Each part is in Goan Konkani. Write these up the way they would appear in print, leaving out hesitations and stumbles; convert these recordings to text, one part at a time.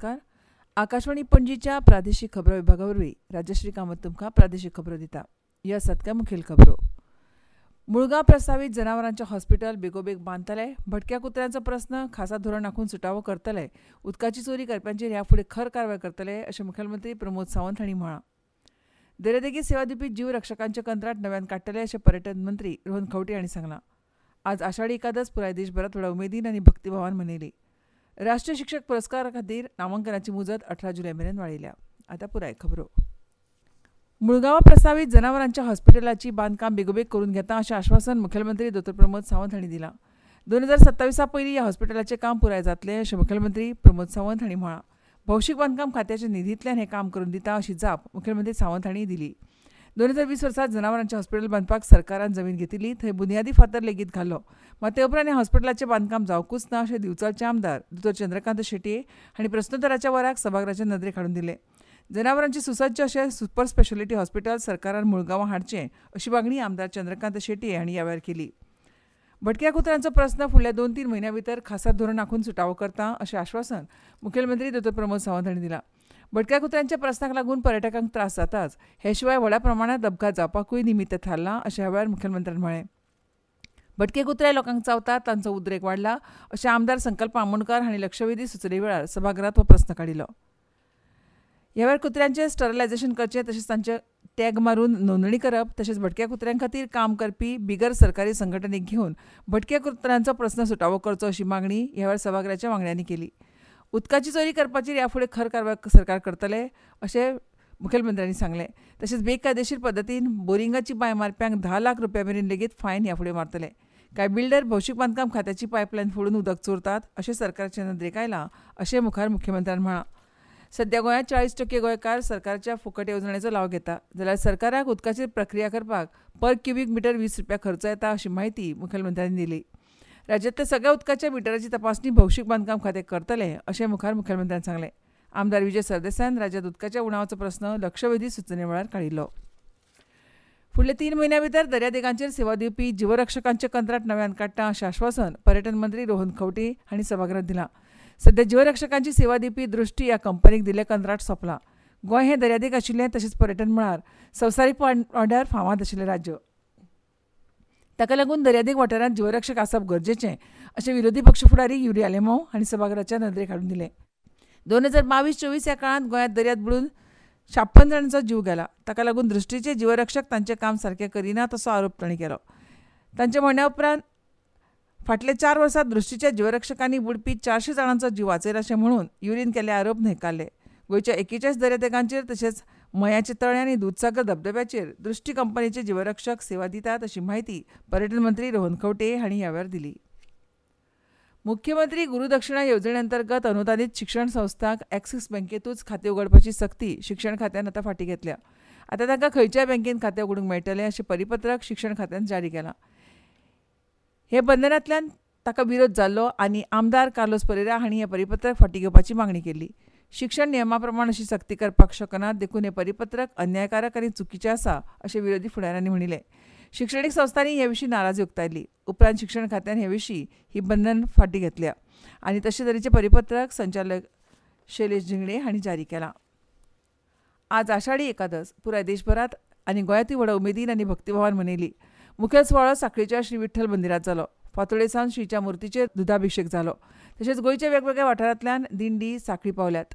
नमस्कार. आकाशवाणी पणजीच्या प्रादेशीक खबरो विभागा वरवीं राजश्री कामत तुमकां प्रादेशीक खबरो दिता. ह्यो आसात काय मुखेल खबरो. मुळगांव प्रस्तावीत जनावरांचें हॉस्पिटल बेगोबेग बांदतले. भटक्या कुत्र्यांचो प्रस्न खासा धोरण आंखून सुटावो करतले. उदकाची चोरी करप्यांचेर ह्या फुडें खर कारवाय करतले अशें मुखेलमंत्री प्रमोद सावंत हांणी म्हळां. दर्यादेगेर सेवा दिवपी जीवरक्षकांचें कंत्राट नव्यान काडटले अशें पर्यटन मंत्री रोहन खंवटे हांणी सांगलां. आज आषाढी एकादस पुराय देशभरांत व्हडा उमेदीन आनी भक्तीभावान मनयली. राष्ट्रीय शिक्षक पुरस्कारा खातीर नामांकनाची मुजत 18 जुलय मेरेन वाडयल्या. आतां पुराय खबरो. मुळगांवां प्रस्तावीत जनावरांच्या हॉस्पिटलाची बांदकाम बेगोबेग करून घेता अशें आश्वासन मुखेलमंत्री दोतोर प्रमोद सावंत हांणी दिलां. 2027 पयलीं ह्या हॉस्पिटलाचें काम पुराय जातलें अशें मुखेलमंत्री प्रमोद सावंत हांणी म्हळां. भौशीक बांदकाम खात्याच्या निधींतल्यान हें काम करून दिता अशी जाप मुखेलमंत्री सावंत हांणी दिली. 2020 वर्सा जनावरांचें हॉस्पिटल बांदपाक सरकारान जमीन घेतिल्ली, थंय बुन्यादी फातर लेगीत घालो. मात ते उपरांत ह्या हॉस्पिटलाचें बांदकाम जावंकूच ना अशें दिवचलचे आमदार दोतोर चंद्रकांत शेटये हांणी प्रस्नोत्तराच्या वराक सभाघराचे नदरेक हाडून दिलें. जनावरांची सुसज्ज अशें सुपर स्पेशालिटी हॉस्पिटल सरकारान मुळगांवां हाडचें अशी मागणी आमदार चंद्रकांत शेटये हांणी ह्या वेळार केली. भटक्या कुत्र्यांचो प्रस्न फुडल्या 2-3 म्हयन्यां भितर खासा धोरण आंखून सुटावो करता अशें आश्वासन मुखेलमंत्री दोतोर प्रमोद सावंत हांणी दिलां. भटक्या कुत्र्यांच्या प्रस्नाक लागून पर्यटकांक त्रास जाताच, हे शिवाय व्हडा प्रमाणांत अपघात जावपाकूय निमित्त थारलां अशें ह्या वेळार मुखेलमंत्र्यान म्हळें. भटके कुत्रे लोकांक चावतात, तांचो उद्रेक वाडला अशें आमदार संकल्प आमोणकार हांणी लक्षवेधी सुचोवणे वेळार सभाघरांत हो प्रस्न काडिल्लो. ह्या वेळार कुत्र्यांचें स्टरलायझेशन करचें तशेंच तांचे टॅग मारून नोंदणी करप तशेंच भटक्या कुत्र्यां खातीर काम करपी बिगर सरकारी संघटनेक घेवन भटक्या कुत्र्यांचो प्रस्न सुटावो करचो अशी मागणी ह्या वेळार सभाघराच्या वांगड्यांनी केली. उदकाची चोरी करपाचेर ह्या फुडें खर कारवाय सरकार करतले अशें मुखेलमंत्र्यांनी सांगलें. तशेंच बेकायदेशीर पद्दतीन बोरिंगाची बांय मारप्यांक 10 लाख रुपया मेरेन लेगीत फायन ह्या फुडें मारतले. कांय बिल्डर भौशीक बांदकाम खात्याची पायपलायन फोडून उदक चोरतात अशें सरकारच्या नदरेक आयलां अशें मुखार मुख्यमंत्र्यान म्हळां. सध्या गोंयांत 40% गोंयकार सरकारच्या फुकट येवजणेचो लाव घेता, जाल्यार सरकाराक उदकाचेर प्रक्रिया करपाक पर क्युबीक मिटर 20 रुपया खर्च येता अशी म्हायती मुखेलमंत्र्यांनी दिली. राज्यांतल्या सगळ्या उदकाच्या मिटराची तपासणी भौशीक बांदकाम खातें करतलें अशें मुखार मुखेलमंत्र्यान सांगलें. आमदार विजय सरदेसायान राज्यांत उदकाच्या उणावाचो प्रस्न लक्षवेधी सुचोवणे वेळार काडिल्लो. फुडल्या 3 म्हयन्यां भितर दर्यादेगांचेर सेवा दिवपी जीवरक्षकांचें कंत्राट नव्यान काडटा अशें आश्वासन पर्यटन मंत्री रोहन खंवटे हांणी सभाघरांत दिलां. सध्या जीवरक्षकांची सेवा दिवपी दृश्टी ह्या कंपनीक दिल्लें कंत्राट सोंपलां. गोंय हें दर्यादेग आशिल्लें तशेंच पर्यटन मळार संवसारीक पांवड्यार फामाद आशिल्लें राज्य. ताका लागून दर्यादेग वाठारांत जीवरक्षक आसप गरजेचें अशें विरोधी पक्ष फुडारी युरी आलेमांव हांणी सभाघराच्या नदरेक हाडून दिलें. 2022-24 ह्या काळांत गोंयांत दर्यांत बुडून 56 जाणांचो जीव गेला. ताका लागून दृश्टीचे जीवरक्षक तांचें काम सारकें करिनात असो आरोप तांणी केलो. तांच्या म्हणण्या उपरांत फाटल्या 4 वर्सांत दृश्टीच्या जीवरक्षकांनी बुडपी 400 जाणांचो जीव वाचयला अशें म्हणून युरीन केल्ले आरोप न्हयकारले. गोंयच्या 41 दर्यादेगांचेर तशेंच मयाचे तळें आनी दुदसागर धबधब्याचेर दृश्टी कंपनीचे जीवरक्षक सेवा दितात अशी म्हायती पर्यटन मंत्री रोहन खंवटे हांणी ह्या वेळार दिली. मुख्यमंत्री गुरुदक्षिणा येवजणे अंतर्गत अनुदानीत शिक्षण संस्थांक ॲक्सिस बँकेतूच खातें उगडपाची सक्ती शिक्षण खात्यान आतां फाटीं घेतल्या. आतां तांकां खंयच्याय बँकेन खातें उगडूंक मेळटलें अशें परिपत्रक शिक्षण खात्यान जारी केलां. हे बंधनांतल्यान ताका विरोध जाल्लो आनी आमदार कार्लोस परेरा हांणी हें परिपत्रक फाटीं घेवपाची मागणी केल्ली. शिक्षण नियमा प्रमाण अशी सक्ती करपाक शकना देखून हें परिपत्रक अन्यायकारक आनी चुकीचें आसा अशें विरोधी फुडाऱ्यांनी म्हणिल्लें. शिक्षणीक संस्थांनी हे विशीं नाराजी उक्तायली. उपरांत शिक्षण खात्यान हे विशीं ही बंधन फाटीं घेतल्या आनी तशे तरेचें परिपत्रक संचालक शैलेश झिंगडे हांणी जारी केलां. आज आषाढी एकादस पुराय देशभरांत आनी गोंयांतूय व्हडा उमेदीन आनी भक्तीभावान मनयली. मुखेल सुवाळो साखळीच्या श्री विठ्ठल मंदिरांत जालो. फांतोडे सावन श्रीच्या मुर्तीचेर दुदाभिशेक जालो. तशेंच गोंयच्या वेगवेगळ्या वाठारांतल्यान दिंडी साखळी पावल्यात.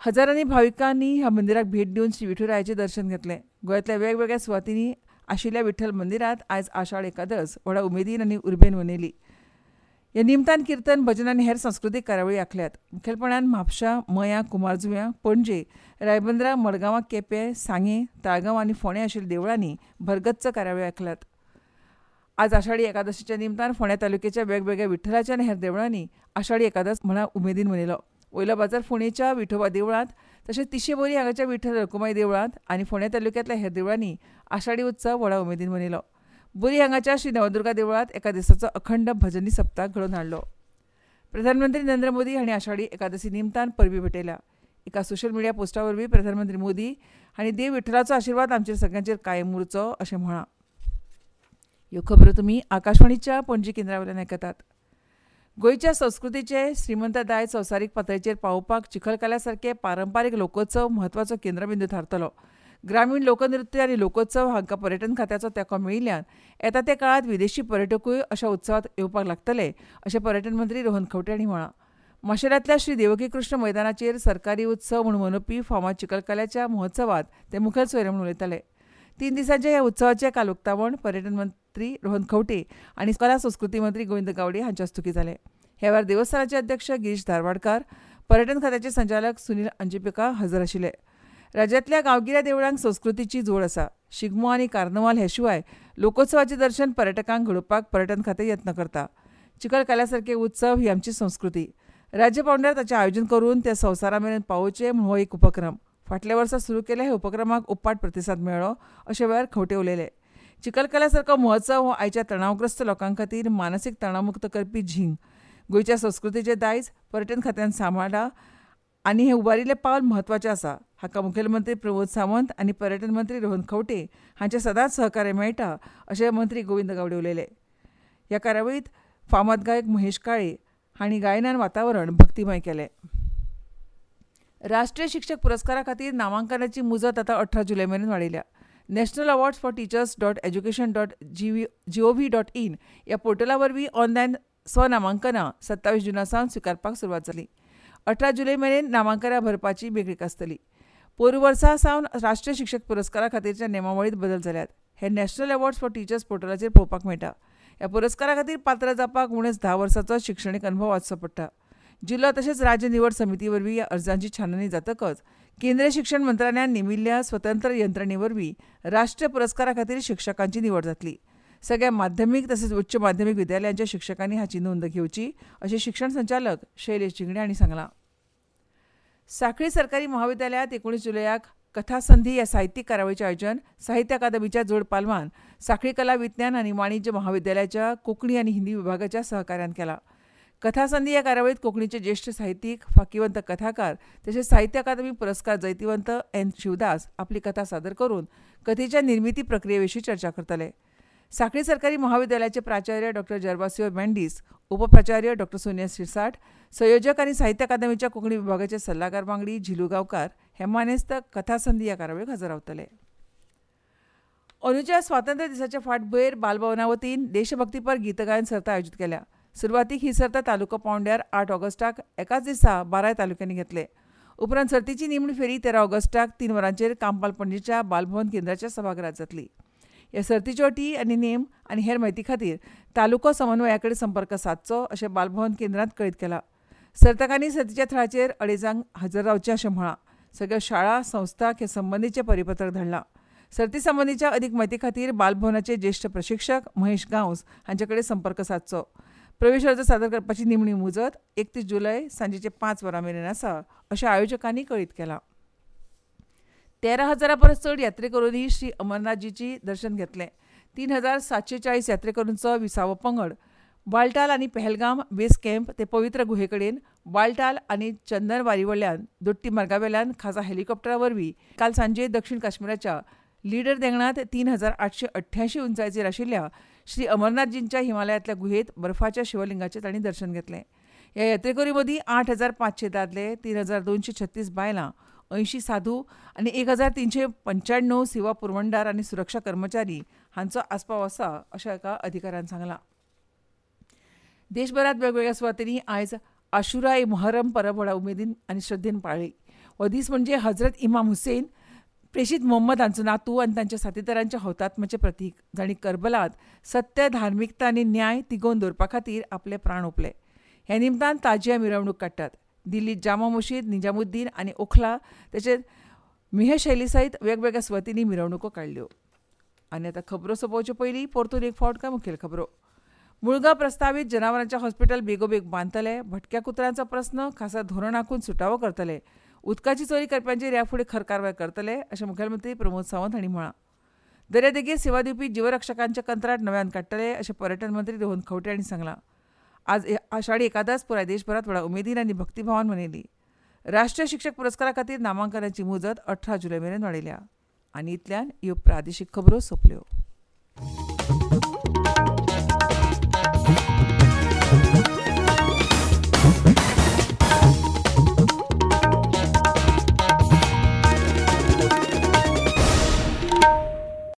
हजारांनी भाविकांनी ह्या मंदिराक भेट दिवन श्री विठुरायाचें दर्शन घेतलें. गोंयांतल्या वेगवेगळ्या सुवातींनी आशिल्ल्या विठ्ठल मंदिरांत आयज आषाढ एकादस व्हडा उमेदीन आनी उर्बेन मनयली. ह्या निमतान किर्तन, भजन आनी हेर सांस्कृतीक कार्यावळी आंखल्यात. मुखेलपणान म्हापशा, मयां, कुमारजुव्यां, पणजे, रायबंदरा, मडगांवां, केपें, सांगें, ताळगांव आनी फोंडें आशिल्ल्या देवळांनी भरगच्च कार्यावळी आंखल्यात. आज आषाढी एकादशीच्या निमतान फोंड्या तालुक्याच्या वेगवेगळ्या विठ्ठलाच्या आनी हेर देवळांनी आषाढी एकादस म्हणा उमेदीन मनयलो. वयलो बाजार फोंडेच्या विठोबा देवळांत तशेंच तिशेबोरी हांगाच्या विठ्ठल रखुमाई देवळांत आनी फोंड्या तालुक्यांतल्या हेर देवळांनी आषाढी उत्सव व्हडा उमेदीन मनयलो. बोरी हांगाच्या श्री नवदुर्गा देवळांत एका दिसाचो अखंड भजनी सप्ताह घडोवन हाडलो. प्रधानमंत्री नरेंद्र मोदी हांणी आषाढी एकादशी निमतान परबी भेटयल्या. एका सोशल मिडिया पोस्टा वरवीं प्रधानमंत्री मोदी हांणी देव विठ्ठलाचो आशिर्वाद आमचेर सगळ्यांचेर कायम उरचो अशें म्हळां. ह्यो खबरो तुमी आकाशवाणीच्या पणजी केंद्रा वयल्यान आयकतात. गोंयच्या संस्कृतीचे श्रीमंत दायज संवसारीक पातळेचेर पावोवपाक चिखलकाल्या सारके पारंपारीक लोकोत्सव म्हत्वाचो केंद्रबिंदू थारतलो. ग्रामीण लोकनृत्य आनी लोकोत्सव हांकां पर्यटन खात्याचो तेंको मेळिल्ल्यान येता त्या काळांत विदेशी पर्यटकूय अशा उत्सवांत येवपाक लागतले अशें पर्यटन मंत्री रोहन खंवटे हांणी म्हळां. माशेलांतल्या श्री देवकी कृष्ण मैदानाचेर सरकारी उत्सव म्हूण मनोवपी फामाद चिखलकाल्याच्या महोत्सवांत ते मुखेल सोयरे म्हूण उलयताले. 3 दिसांच्या ह्या उत्सवाचें काल उक्तावण पर्यटन मंत्री रोहन खंवटे आनी कला संस्कृती मंत्री गोविंद गावडे हांच्या हस्तुकीं जालें. ह्या वेळार देवस्थानाचे अध्यक्ष गिरीश धारवाडकार, पर्यटन खात्याचे संचालक सुनील अंजिपेका हजर आशिल्ले. राज्यांतल्या गांवगिऱ्या देवळांक संस्कृतीची जोड आसा. शिगमो आनी कार्नवाल हे शिवाय लोकोत्सवाचें दर्शन पर्यटकांक घडोवपाक पर्यटन खातें यत्न करता. चिखलकाल्या सारके उत्सव ही आमची संस्कृती. राज्य पांवड्यार ताचें आयोजन करून ते संवसारा मेरेन पावोवचें म्हूण हो एक उपक्रम. फाटल्या वर्सा सुरू केल्ल्या ह्या उपक्रमाक उपाट प्रतिसाद मेळ्ळो अशें वेळार खंवटे उलयले. चिखलकाल्या सारको महोत्सव हो आयच्या तणावग्रस्त लोकां खातीर मानसीक तणावमुक्त करपी झींग. गोंयच्या संस्कृतीचें दायज पर्यटन खात्यान सांबाळ्ळां आनी हें उबारिल्लें पावल म्हत्वाचें आसा. हाका मुखेलमंत्री प्रमोद सावंत आनी पर्यटन मंत्री रोहन खंवटे हांचें सदांच सहकार्य मेळटा अशें मंत्री गोविंद गावडे उलयले. ह्या कार्यावळींत फामाद गायक महेश काळे हांणी गायनान वातावरण भक्तिमय केलें. राष्ट्रीय शिक्षक पुरस्कारा खातीर नामांकनाची मुजत आतां 18 जुलय मेरेन वाडयल्या. National awards for teachers dot education dot gov dot in ह्या पोर्टला वरवीं ऑनलायन स्वनामांकनां 27 जुना सावन स्विकारपाक सुरवात जाली. 18 जुलय मेरेन नामांकनां भरपाची मेकळीक आसतली. पोरूं वर्सा सावन राष्ट्रीय शिक्षक पुरस्कारा खातीरच्या नेमावळींत बदल जाल्यात. हे नॅशनल अवॉर्ड्स फॉर टिचर्स पोर्टलाचेर पळोवपाक मेळटा. ह्या पुरस्कारा खातीर पात्र जावपाक उणेच 10 वर्सांचो शिक्षणीक अनुभव आसचो पडटा. जिल्लो तशेंच राज्य निवड समिती वरवीं ह्या अर्जांची छाननी जातकच केंद्रीय शिक्षण मंत्रालयान नेमिल्ल्या स्वतंत्र यंत्रणे वरवीं राष्ट्रीय पुरस्कारा खातीर शिक्षकांची निवड जातली. सगळ्या माध्यमीक तशेंच उच्च माध्यमीक विद्यालयांच्या शिक्षकांनी हाची नोंद घेवची अशें शिक्षण संचालक शैलेश झिंगडे हांणी सांगलां. सांखळी सरकारी महाविद्यालयांत 19 जुलयाक कथासंधी ह्या साहित्यीक कार्यावळीचें आयोजन साहित्य अकादमीच्या जोड पालवान सांखळी कला विज्ञान आनी वाणिज्य महाविद्यालयाच्या कोंकणी आनी हिंदी विभागाच्या सहकार्यान केला. कथासंधी ह्या कार्यावळींत कोंकणीचे ज्येश्ठ साहित्यीक, फाकिवंत कथाकार तशेंच साहित्य अकादमी पुरस्कार जैतिवंत एन शिवदास आपली कथा सादर करून कथेच्या निर्मिती प्रक्रिये विशीं चर्चा करतले. सांखळी सरकारी महाविद्यालयाचे प्राचार्य डॉ जर्वासियो मेंडीस, उपप्राचार्य डॉ सोनिया शिरसाट, संयोजक आनी साहित्य अकादमीच्या कोंकणी विभागाचे सल्लागार वांगडी झिलू गांवकार हे मानेस्त कथासंधी ह्या कार्यावळीक हजर रावतले. अंदूच्या स्वातंत्र्य दिसाच्या फाटभुंयेर बालभवना वतीन देशभक्तीपर गीतगायन सर्त आयोजीत केल्या. सुरवातीक ही सर्त तालुको पांवड्यार 8 ऑगस्टाक एकाच दिसा 12 तालुक्यांनी घेतले. उपरांत सर्तीची निमणी फेरी 13 ऑगस्टाक 3 वरांचेर कांपाल पणजेच्या बालभवन केंद्राच्या सभाघरांत जातली. ह्या सर्तीच्यो अटी आनी नेम आनी हेर म्हायती खातीर तालुको समन्वया कडेन संपर्क सादचो अशें बालभवन केंद्रांत कळीत केलां. सर्तकांनी सर्तीच्या थळाचेर 2:30 हजर रावचें अशें म्हळां. सगळ्या शाळा संस्थांक हे संबंदीचें परिपत्रक धाडलां. सर्ती संबंदीच्या अदीक म्हायती खातीर बालभवनाचे ज्येश्ठ प्रशिक्षक महेश गांवस हांचे कडेन संपर्क सादचो. प्रवेश अर्ज सादर करपाची निमणी मुजत 31 जुलय सांजेचे 5 वरां मेरेन आसा अशें आयोजकांनी कळीत केलां. 13,000 परस चड यात्रेकरूंनी श्री अमरनाथजीची दर्शन घेतलें. 3,740 यात्रेकरूंचो 20वो पंगड बालटाल आनी पहलगाम बेस कॅम्प ते पवित्र गुहे कडेन बालटाल आनी चंदनवारी वयल्यान दोट्टी मार्गा वेल्यान खासा हेलिकॉप्टरा वरवीं काल सांजे दक्षिण काश्मीराच्या लीडर देंगणांत 3,888 उंचायेचेर आशिल्ल्या श्री अमरनाथजींच्या हिमालयांतल्या गुहेत बर्फाच्या शिवलिंगाचें तांणी दर्शन घेतलें. ह्या यात्रेकरूं मदीं 8,500 दादले, 3,236 बायलां, 80 साधू आनी 1,395 सेवा पुरवणदार आनी सुरक्षा कर्मचारी हांचो आस्पाव आसा अशें एका अधिकाऱ्यान सांगलां. देशभरांत वेगवेगळ्या सुवातींनी आयज आशुरा ए मोहरम परब व्हडा उमेदीन आनी श्रद्धेन पाळ्ळी. हो दीस म्हणजे हजरत इमाम हुसेन प्रेषित मोहम्मद हांचो नातू आनी तांच्या साथीदारांच्या हौतात्म्याचें प्रतीक, जांणी करबलांत सत्य, धार्मिकता आनी न्याय तिगोवन दवरपा खातीर आपले प्राण ओंपले. ह्या निमतान ताजिया मिरवणूक काडटात. दिल्लीत जामा मशीद, निजामुद्दीन आनी ओखला तशेंच मिहशैली सयत वेगवेगळ्या सुवातींनी मिरवणुको काडल्यो. आनी आतां खबरो सोंपोवचे पयलीं परतून एक फावट काय मुखेल खबरो. मुळगांव प्रस्तावीत जनावरांचें हॉस्पिटल बेगोबेग बांदतले. भटक्या कुत्र्यांचो प्रस्न खासा धोरण आंखून सुटावो करतले. उदकाची चोरी करप्यांचेर ह्या फुडें खर कारवाय करतले अशें मुखेलमंत्री प्रमोद सावंत हांणी म्हळां. दर्यादेगेर सेवा दिवपी जिवरक्षकांचें कंत्राट नव्यान काडटले अशें पर्यटन मंत्री रोहन खंवटे हांणी सांगलां. आज आषाढी एकादस पुराय देशभरांत व्हडा उमेदीन आनी भक्तिभावान मनयली. राष्ट्रीय शिक्षक पुरस्कारा खातीर नामांकनाची मुजत 18 जुलय मेरेन वाडयल्या. आनी इतल्यान ह्यो प्रादेशीक खबरो सोंपल्यो.